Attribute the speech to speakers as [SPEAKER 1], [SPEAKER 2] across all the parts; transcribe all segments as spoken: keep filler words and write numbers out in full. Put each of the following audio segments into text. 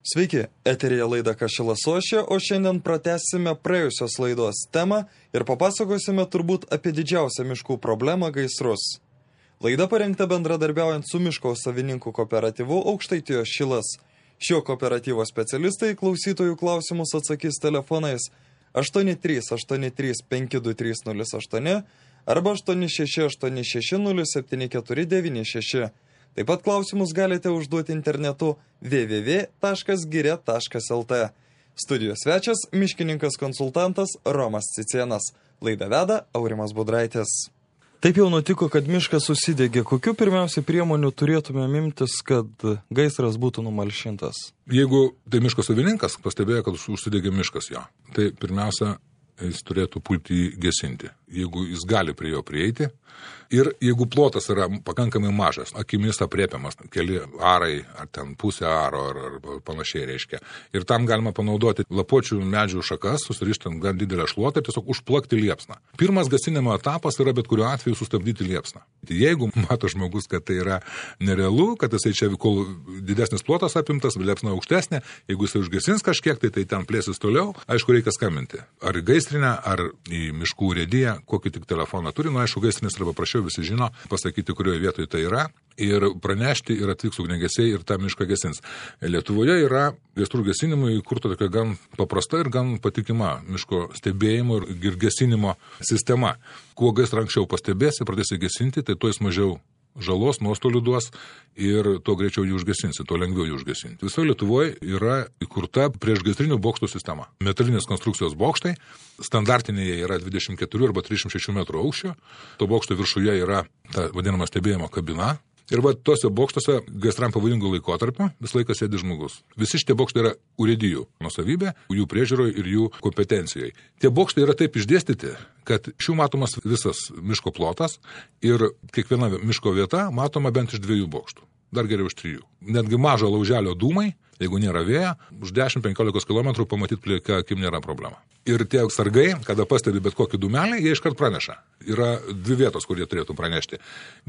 [SPEAKER 1] Sveiki, eteryje laida Kašilas Ošė, o šiandien pratęsime praėjusios laidos temą ir papasakosime turbūt apie didžiausią miškų problemą – gaisrus. Laida parengta bendradarbiaujant su miško savininkų kooperatyvu Aukštaitijos Šilas. Šio kooperatyvo specialistai klausytojų klausimus atsakys telefonais aštuoni trys aštuoni trys penki du trys nulis aštuoni arba aštuoni šeši aštuoni šeši nulis septyni keturi devyni šeši. Taip pat klausimus galite užduoti internetu w w w taškas giria taškas l t. Studijos svečias – miškininkas konsultantas Romas Cicėnas. Laidą veda Aurimas Budraitis. Taip jau nutiko, kad miškas susidegė. Kokių pirmiausia priemonių turėtume imtis, kad gaisras būtų numalšintas?
[SPEAKER 2] Jeigu tai miško savininkas pastebėjo, kad užsidegė miškas jo, tai pirmiausia, jis turėtų pulti jį gesinti, jeigu jis gali prie jo prieiti. Ir jeigu plotas yra pakankamai mažas, akimis apriepiamas, keli arai, ar ten pusę aro, ar, ar panašiai reiškia. Ir tam galima panaudoti lapuočių medžių šakas, susirištant gan didelę šluotą ir tiesiog užplakti liepsną. Pirmas gesinimo etapas yra bet kuriuo atveju sustabdyti liepsną. Jeigu mato žmogus, kad tai yra nerealu, kad jisai čia, kol didesnis plotas apimtas, liepsna aukštesnė, jeigu jisai užgesins kažkiek, tai tai ten plėsis toliau, aišku, reikia skambinti. Ar į gaisrinę, ar į miškų urėdiją, kokį tik telefoną turi, nu aišku, gaisrinis arba prašiau visi žino, pasakyti, kurioje vietoje tai yra, ir pranešti, ir atvyks ugniagesiai, ir tą mišką gesins. Lietuvoje yra gaisrų gesinimui įkurta tokia gan paprasta ir gan patikima miško stebėjimo ir gesinimo sistema. Kuo gaisrą anksčiau pastebėsi, pradėsi gesinti, tai tuo jis mažiau žalos, nuostolių duos ir tuo greičiau jį užgesinsi, tuo lengviau jį užgesinti. Visoje Lietuvoje yra įkurta priešgaisrinių bokštų sistema. Metalinės konstrukcijos bokštai, standartinėje yra dvidešimt keturi arba trisdešimt šeši metrų aukščio, to bokšto viršuje yra ta vadinama stebėjimo kabina. Ir va tose bokštuose gaisram pavojingų laikotarpio vis laikas sėdi žmogus. Visi šitie bokštai yra urėdijų nuosavybė, jų priežiūroje ir jų kompetencijoje. Tie bokštai yra taip išdėstyti, kad šių matomas visas miško plotas ir kiekviena miško vieta matoma bent iš dviejų bokštų. Dar geriau iš trijų. Netgi mažo lauželio dūmai, jeigu nėra vėjo, už dešimt penkiolika kilometrų pamatyti plika akim nėra problema. Ir tie sargai, kada pastebi bet kokį dūmelį, jie iškart praneša. Yra dvi vietos, kur jie turėtų pranešti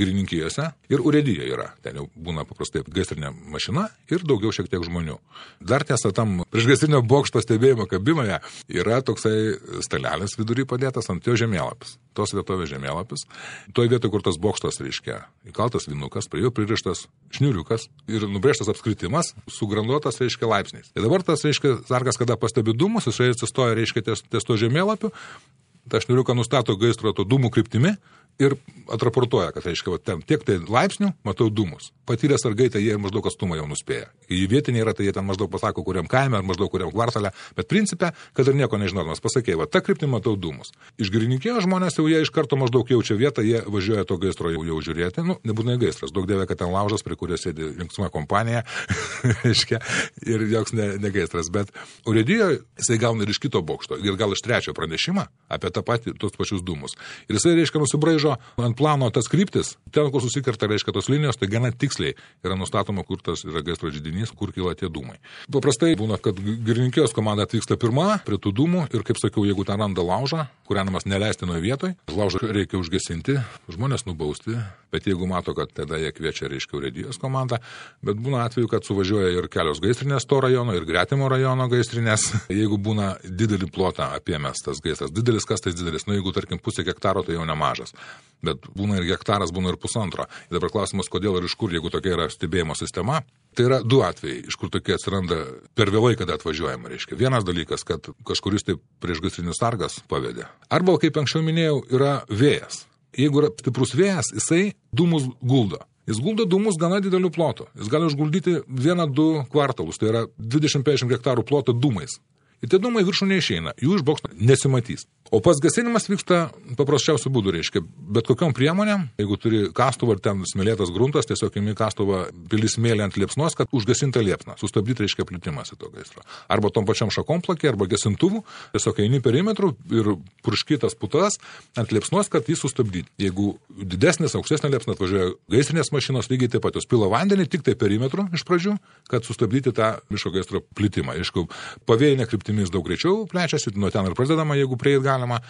[SPEAKER 2] girininkijose ir urėdija yra. Ten jau būna paprastai gaisrinė mašina ir daugiau šiek tiek žmonių. Dar tiesa, tam priešgaisrinio bokšto stebėjimo kabinoje yra toksai stalelis vidury padėtas ant jo žemėlapis. Tos vietovės žemėlapis. Toje vietoje, kur tas bokštas, reiškia, įkaltas vinukas, prie jo pririštas šniuriukas ir nubrėžtas apskritimas, sugranduotas, reiškia, laipsniais. Ir dabar tas, reiškia, sargas, kada pastebi dūmus, jis atsistoja, reiškia, ties, ties to žemėlapiu, tą šniuriuką nustato gaisro to dūmų kryptimi ir atraportuoja, kad, reiškia, va, ten tiek tai laipsnių, matau dūmus. Patyrę sargai, tai jie maždaug atstumą jau nuspėja. Į vietinį yra, tai jie ten maždaug pasako, kuriam kaime, ar maždaug kuriam kvartale, bet principe, kad ir nieko nežinodamas, pasakė, va, tą kryptį matau dūmus. Iš girininkijos žmonės jau jie iš karto maždaug jaučia vietą, jie važiuoja to gaisro jau, jau žiūrėti, nu, nebūtinai gaisras, daug dievė, kad ten laužas, prie kurio sėdi linksma kompanija, reiškia, ir joks ne, ne gaisras, bet urėdijoje jisai gauna ir iš kito bokšto, ir gal iš trečio pranešimą apie tą patį, tos pačius dūmus. Ir jisai, reiškia, nusibraižo ant plano tas kryptis, ten, kur susikerta, reiškia, tos linijos, tai gana tiksliai yra nustatoma, kur tas yra gaisro židinys, kur kyla tie dūmai. Paprastai būna, kad girininkijos komanda atvyksta pirma prie tų dūmų ir, kaip sakiau, jeigu ten randa laužą, kūrenamas neleistinoje vietoje, laužą reikia užgesinti, žmonės nubausti, bet jeigu mato, kad tada jie kviečia, reiškia, urėdijos komandą, bet būna atveju, kad suvažiuoja ir kelios gaisrinės to rajono, ir gretimo rajono gaisrinės. Jeigu būna didelį plotą apėmęs tas gaisras, didelis kas tai didelis, nu jeigu, tarkim, pusė hektaro, tai jau nemažas. Bet būna ir hektaras, būna ir pusantro. Ir dabar klausimas, kodėl ir iš kur, jeigu tokia yra stebėjimo sistema. Tai yra du atvejai, iš kur tokie atsiranda per vėlai, kada atvažiuojama, reiškia. Vienas dalykas, kad kažkuris tai priešgaisrinis sargas pavedė. Arba, kaip anksčiau minėjau, yra vėjas. Jeigu yra stiprus vėjas, jisai dūmus guldo. Jis guldo dūmus gana didelių plotų. Jis gali užguldyti vieną, du kvartalus, tai yra dvidešimt penkiasdešimt hektarų plotą dūmais. Ir tie dūmai viršų neišeina, jų iš bokšto nesimatys. O pats gesinimas vyksta paprasčiausių būdų, reiškia, bet kokiom priemonėm, jeigu turi kastuvą ir ten smėlėtas gruntas, tiesiog imi kastuvą, pili smėlį ant liepsnos, kad užgesinta liepsna, sustabdyti, reiškia, plitimąsi to gaisro. Arba tom pačiam šakom plakė, arba gesintuvų, tiesiog eini perimetrų ir purškytas putas ant liepsnos, kad jį sustabdyti. Jeigu didesnis, aukštesnė liepsna atvažiuoja gaisrinės mašinos, lygiai taip pat jos pila vandenį, tik tai perimetrų iš pradžių, kad sustabdyti tą miško gaisro plitimą. Aišku, pavėjinė kryptimis daug greičiau plečiasi, nuo ten ir prasidedama, jeigu prieit galima,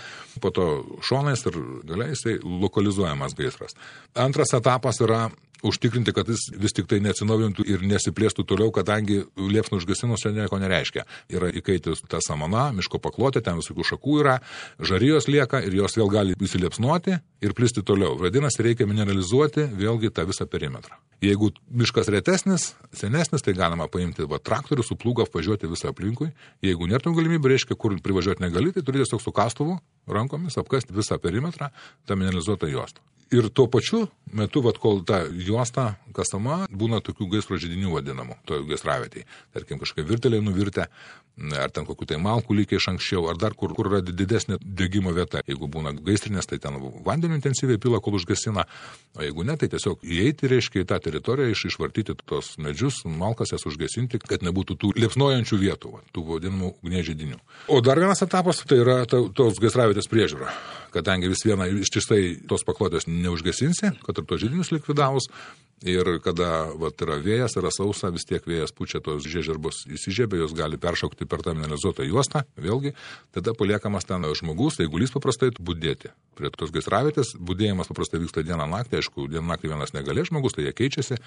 [SPEAKER 2] po to šonais ir galiai jisai lokalizuojamas gaisras. Antras etapas yra užtikrinti, kad jis vis tik tai neatsinaujintų ir nesiplėstų toliau, kadangi liepsną užgesinus čia nieko nereiškia. Yra įkaitus ta samana, miško paklotė, ten visokių šakų yra, žarijos lieka ir jos vėl gali įsiliepsnuoti ir plisti toliau. Vadinasi, reikia mineralizuoti vėlgi tą visą perimetrą. Jeigu miškas retesnis, senesnis, tai galima paimti va, traktorių, su plūga apvažiuoti visą aplinkui. Jeigu nėra galimybė, reiškia, kur privažiuoti negali, tai turi tiesiog su kastuvu rankomis apkasti visą perimetrą, tą mineralizuotą juostą. Ir tuo pačiu metu, vat, kol ta juosta kasama, būna tokių gaisro židinių vadinamų, to gaisravietėje. Tarkim, kažkai virteliai nuvirtę, ar ten kokių tai malkų lygiai iš anksčiau, ar dar kur, kur yra didesnė degimo vieta. Jeigu būna gaisrinės, tai ten vandeniu intensyviai pila, kol užgesina, o jeigu ne, tai tiesiog įeiti, reiškia, į tą teritoriją, iš, išvartyti tos medžius, malkas jas užgesinti, kad nebūtų tų liepsnojančių vietų, va, tų vadinamų ugnies židinių. O dar vienas etapas, tai yra ta, tos gaisravietės priežiūra. Kadangi vis viena ištisai tos paklotės neužgesinsi, kad ir tos židinius likvidavus, ir kada vat, yra vėjas, yra sausa, vis tiek vėjas pučia, tos žiežirbos įsižiebė, jos gali peršaukti per tą mineralizuotą juostą, vėlgi, tada paliekamas ten žmogus, eigulys paprastai budėti. Prie tos gaisravietės budėjimas paprastai vyksta dieną naktį, aišku, dieną naktį vienas negalė žmogus, tai jie keičiasi.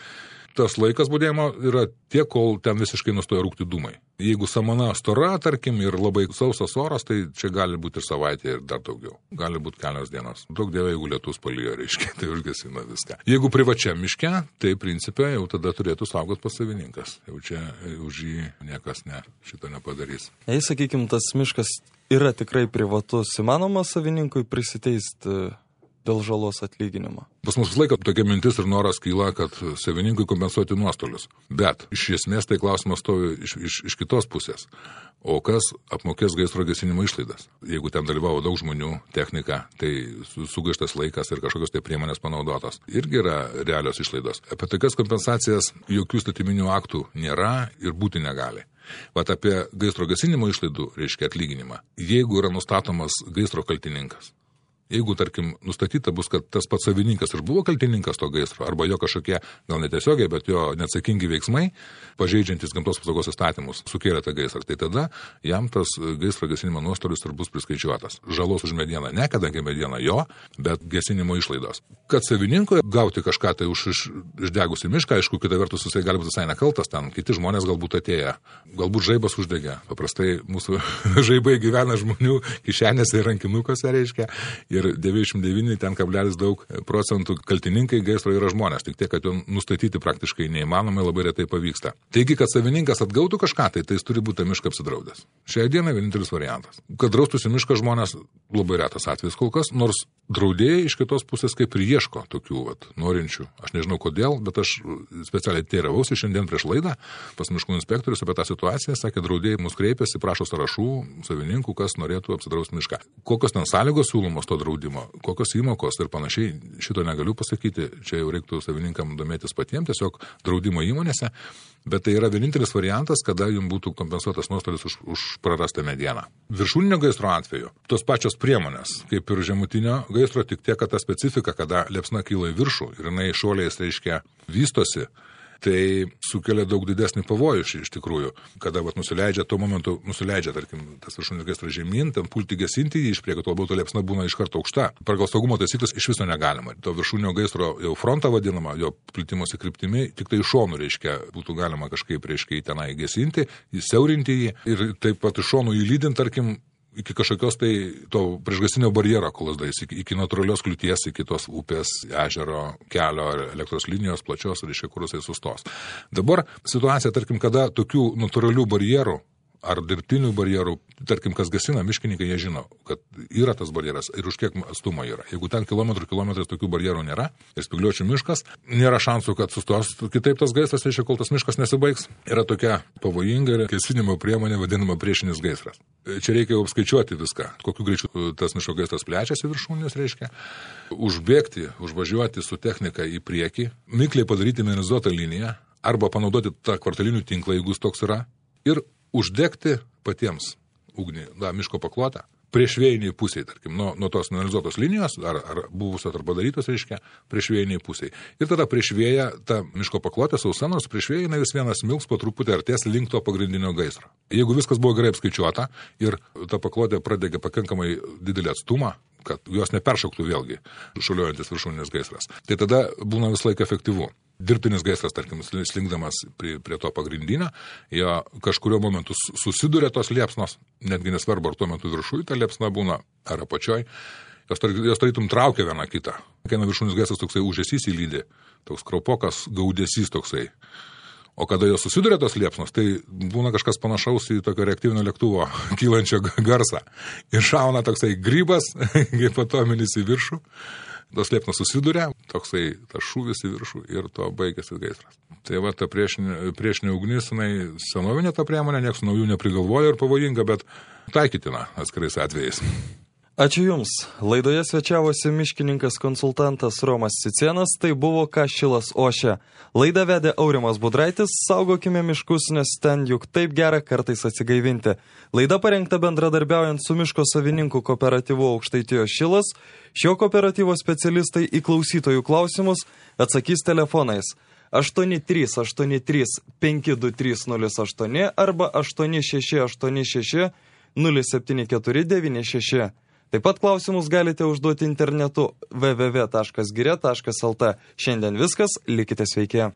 [SPEAKER 2] Tas laikas budėjimo yra tiek, kol ten visiškai nustoja rūkti dūmai. Jeigu samana stora, tarkim, ir labai sausas oras, tai čia gali būti ir savaitė, ir dar daugiau. Gali būti kelios dienos. Daug dėvė, jeigu lietus palijo, reiškia, tai užgesina viską. Jeigu privačiam miške, tai principė jau tada turėtų saugot pats savininkas. Jau čia už jį niekas ne, šito nepadarys.
[SPEAKER 1] Jei, sakykime, tas miškas yra tikrai privatus, įmanoma savininkui prisiteisti dėl žalos atlyginimo?
[SPEAKER 2] Pas mus visą laiką tokia mintis ir noras kyla, kad savininkui kompensuoti nuostolius. Bet iš esmės tai klausimas stovi iš, iš, iš kitos pusės. O kas apmokės gaisro gesinimo išlaidas? Jeigu ten dalyvavo daug žmonių, technika, tai sugaištas laikas ir kažkokios tai priemonės panaudotos. Irgi yra realios išlaidos. Apie tokias kompensacijas jokių statyminių aktų nėra ir būti negali. Vat apie gaisro gesinimo išlaidų reiškia atlyginimą. Jeigu yra nustatomas gaisro kaltininkas, jeigu, tarkim, nustatyta bus, kad tas pats savininkas ir buvo kaltininkas to gaisro, arba jo kažkokie, gal netiesiogiai, bet jo neatsakingi veiksmai, pažeidžiantis gamtos apsaugos įstatymus, sukėlė tą gaisrą, tai tada jam tas gaisro gesinimo nuostolius ir bus priskaičiuotas. Žalos už medieną ne, kadangi mediena jo, bet gesinimo išlaidos. Kad savininkui gauti kažką tai už iš, išdegusį mišką, aišku, kita vertus jisai gali būti visai nekaltas, ten kiti žmonės galbūt atėję, galbūt žaibas uždegė. Paprastai mūsų žaibai gyvena žmonių kišenėse ir rankinukuose, reiškia. Ir devyniasdešimt devyni ten kablelis daug procentų kaltininkai gaisro yra žmonės, tik tiek, kad jo nustatyti praktiškai neįmanomai, labai retai pavyksta. Taigi, kad savininkas atgautų kažką, tai, tai jis turi būti mišką apsidraudęs. Šiai dienai vienintelis variantas. Kad draustųsi mišką žmonės, labai retas atvejis kol kas, nors draudėjai iš kitos pusės kaip ir ieško tokių vat, norinčių. Aš nežinau kodėl, bet aš specialiai teiravausi šiandien prieš laidą pas miškų inspektorius apie tą situaciją, sakė, draudėjai mus kreipėsi, prašo sąrašų savininkų, kas norėtų apsidrausti mišką. Kokios ten sąlygos siūlomos to draudimo, kokios įmokos ir panašiai, šito negaliu pasakyti, čia jau reiktų savininkam domėtis patiems, tiesiog draudimo įmonėse, bet tai yra vienintelis variantas, kada jums būtų kompensuotas nuostolis už, už prarastą medieną. Viršūninio gaisro atveju tos pačios priemonės, kaip ir žemutinio gaisro, tik tiek, kad ta specifika, kada liepsna kyla į viršų ir jinai šuoliais, reiškia, vystosi, tai sukelia daug didesnį pavojų iš tikrųjų. Kada vat, nusileidžia, tuo momentu nusileidžia, tarkim, tas viršūninis gaisras žemyn, ten pulti gesinti jį iš priekio, tuo labiau to liepsna būna iš karto aukšta. Pagal saugumo taisyklės iš viso negalima. To viršūninio gaisro jau frontą vadinama, jo plitimosi kryptimi, tik tai iš šonų, reiškia, būtų galima kažkaip, reiškia, į tenai gesinti, įsiaurinti jį ir taip pat iš šonų įlydint, tarkim, iki kažkokios tai to priešgasinio barjero, kol jis dais, iki, iki natūralios kliūties, iki tos upės, ežero, kelio ar elektros linijos plačios, reiškia, kur jisai sustos. Dabar situacija, tarkim, kada tokių natūralių barjerų ar dirbtinių barjerų, tarkim, kas gasina, miškininkai, jie žino, kad yra tas barjeras ir už kiek atstumo yra. Jeigu ten kilometrų kilometrais tokių barjerų nėra ir spygliuočių miškas, nėra šansų, kad sustos kitaip tas gaisras, reiškia, kol tas miškas nesibaigs. Yra tokia pavojinga gesinimo priemonė vadinama priešinis gaisras. Čia reikia jau apskaičiuoti viską, kokiu greičiu tas miško gaisras plečiasi viršūnės, reiškia, užbėgti, užvažiuoti su technika į priekį, mikliai padaryti mineralizuotą liniją arba panaudoti tą kvartalinių tinklą, jeigu jis toks yra, ir uždegti patiems ugnį, da, miško paklotę, prieš vėjiniai pusiai, tarkim, nuo, nuo tos mineralizuotos linijos, ar, ar buvusios ar padarytos, reiškia, prieš vėjiniai pusiai. Ir tada prieš vėją, ta miško paklotė sausa, nors prieš vėją vis vienas milks po truputį artės link to pagrindinio gaisro. Jeigu viskas buvo gerai apskaičiuota ir ta paklotė pradegė pakankamai didelį atstumą, kad jos neperšauktų vėlgi šuliuojantis viršūninės gaisras. Tai tada būna vis laik efektyvu. Dirbtinis gaisras, tarkim, slinkdamas prie, prie to pagrindinio, jo kažkurio momentu susiduria tos liepsnos, netgi nesvarbu, ar tuo metu viršui ta liepsna būna, ar apačioj, jos, jos tarytum traukia vieną kitą. Kai viršūnis gaisras toksai užesys įlydė, toks kraupokas gaudesys toksai. O kada jos susiduria tos liepsnos, tai būna kažkas panašaus į tokio reaktyvinio lėktuvo kylančio garsą. Ir šauna toksai grybas, kaip atominis į viršų. Tos liepsnos susiduria, toksai tas šūvis į viršų ir to baigėsi gaisras. Tai va, ta priešinė, priešinė ugnis, jinai senovinė ta priemonė, nieks naujų neprigalvoja ir pavojinga, bet taikytina atskirais atvejais.
[SPEAKER 1] Ačiū Jums. Laidoje svečiavosi miškininkas konsultantas Romas Cicėnas, tai buvo Ką šilas ošia. Laidą vedė Aurimas Budraitis, saugokime miškus, nes ten juk taip gera kartais atsigaivinti. Laida parengta bendradarbiaujant su miško savininkų kooperatyvu Aukštaitijos Šilas. Šio kooperatyvo specialistai į klausytojų klausimus atsakys telefonais aštuoni trys aštuoni trys penki du trys nulis aštuoni arba aštuoni šeši aštuoni šeši nulis septyni keturi devyni šeši. Taip pat klausimus galite užduoti internetu w w w taškas giria taškas l t. Šiandien viskas, likite sveiki.